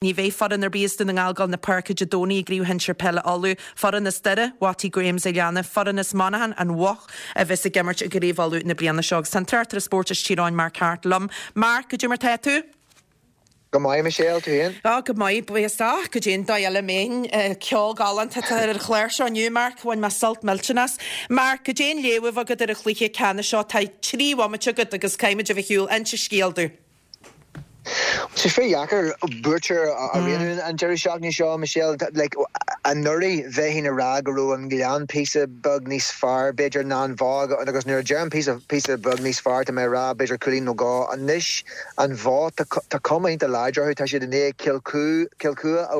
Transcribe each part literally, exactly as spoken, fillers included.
Ní bheidh foireann ar bith as Dún na nGall ag dul na páirce Dé Domhnaigh i gCraobh Shinsir Peile Uladh, foireann as Doire, Watty Grahams a leanadh, foireann as Monaghan, An Bhoth, a bheas ag imirt i gCraobh Uladh na bliana seo. Agus tá an tráchtaire spóirt as Tír Eoghain, Mark Harte liom. Mark, goidé mar tá tú? Go maith Michelle tú féin? Á go maith buíochas goidé an dóigh eile a mbeinn ceol galánta atá ar an chlár seo inniu Mark, bhain mé sult millteanach as. Mark, goidé an léamh agat ar an chluiche ceannais seo tá trí bhomaite agat agus caithfimid a bheith ar shiúl inse scéal domh. Sé fíordheacair buaiteoir a roghnú an deireadh seachtaine seo Michelle like, anuraidh bheinn ag rá go raibh an Gleann píosa beag níos fearr b'fhéidir ná an Bhoth agus nuair a deirim píosa píosa beag níos fearr tá mé ag rá b'fhéidir cúilín nó dhó anois an Bhoth tá cuma iontach láidir orthu tá siad i ndiaidh Cill Chua a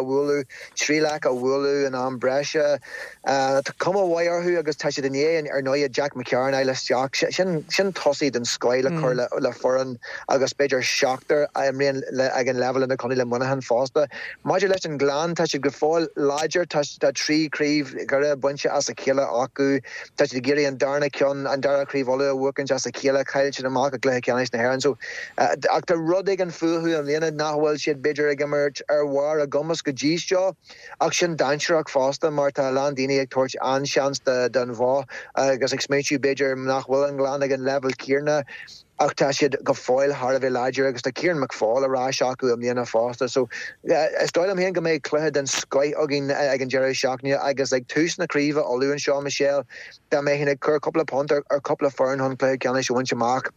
bhualadh trí leac a bhualadh in am breise Tá cuma mhaith orthu agus tá siad i ndiaidh ar ndóigh Jack McCarron a fháil isteach sin sin tosaí den scoth le cur le le foireann agus b'fhéidir seachtar a imríonn ag an leibhéal idirchontae le Muineachán fosta. Maidir leis an Ghleann tá siad go fóill láidir tá tá trí chraobh Dhoire bainte as a chéile acu tá siad ag iarraidh an darna ceann an dara craobh Uladh a bhuachaint as a chéile chaill siad amach i gcluiche ceannais na hÉireann so ach tá rud éigin fúthu i mbliana nach bhfuil siad b'fhéidir ag imirt ar bharr a gcumas go dtí seo ach sin dainséarach fosta mar tá a lán daoine ag tabhairt an-seans don Bhoth agus ag smaointiú b'fhéidir nach bhfuil an Gleann ag an leibhéal céanna ach tá siad go fóill thar a bheith láidir agus tá Kieran McFall ar ais acu i mbliana fosta so is dóigh liom féin go mbeidh cluiche den scoth againn ag an deireadh seachtaine agus ag tús na craoibhe Uladh anseo Michelle dá mbeinn ag cur cúpla punt ar cúpla foireann chun cluiche ceannais a bhaint amach.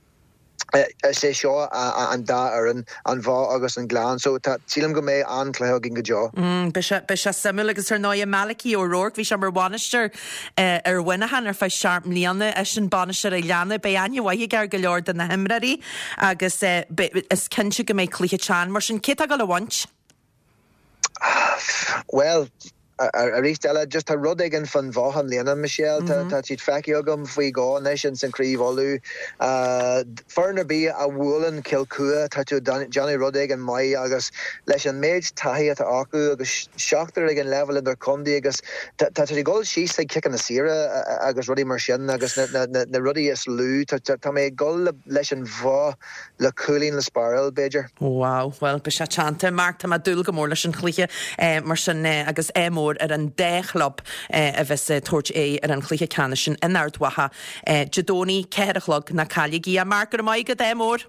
Is é seo an dá fhoireann, an Bhoth agus an Gleann, so tá sílim go mbeidh an-chluiche againn go deo. Mm, beidh sé, beidh sé suimiúil agus ar ndóigh Malachy O'Rourke, bhí sé mar bhainisteoir ar Mhuineachán ar feadh seacht mbliana, eisean bainisteoir an Ghleanna, beidh aithne mhaith aige ar go leor de na himreoirí agus is cinnte go mbeidh cluiche teann mar sin. Cé atá ag dul a bhaint? Bhuel, arís eile, just tá rud éigin fán Bhoth i mbliana, Michelle. Tá tá siad feicthe agam faoi dhó anois ins an Craobh Uladh. Foireann ar bith a bhuaileann Cill Chua, tá tú ag déanamh rud éigin maith agus leis an méid taithí atá acu agus seachtar ag an leibhéal idirchontae agus tá tá siad ag dul síos ag ciceanna saora agus rudaí mar sin agus na na na rudaí is lú. Tá tá mé ag dul leis an Bhoth le cúilín le spáráil, b'fhéidir. Wow, bhuel beidh sé teannta. Mark, tá mé ag dúil go mór leis an chluiche mar sin agus ádh mór ar an dá chlub a bheas ag tabhairt aghaidh ar an chluiche ceannais sin in Ard Mhacha Dé Domhnaigh, ceathair a chlog, ná cailligí é. Mark, go raibh maith agat, ádh mór.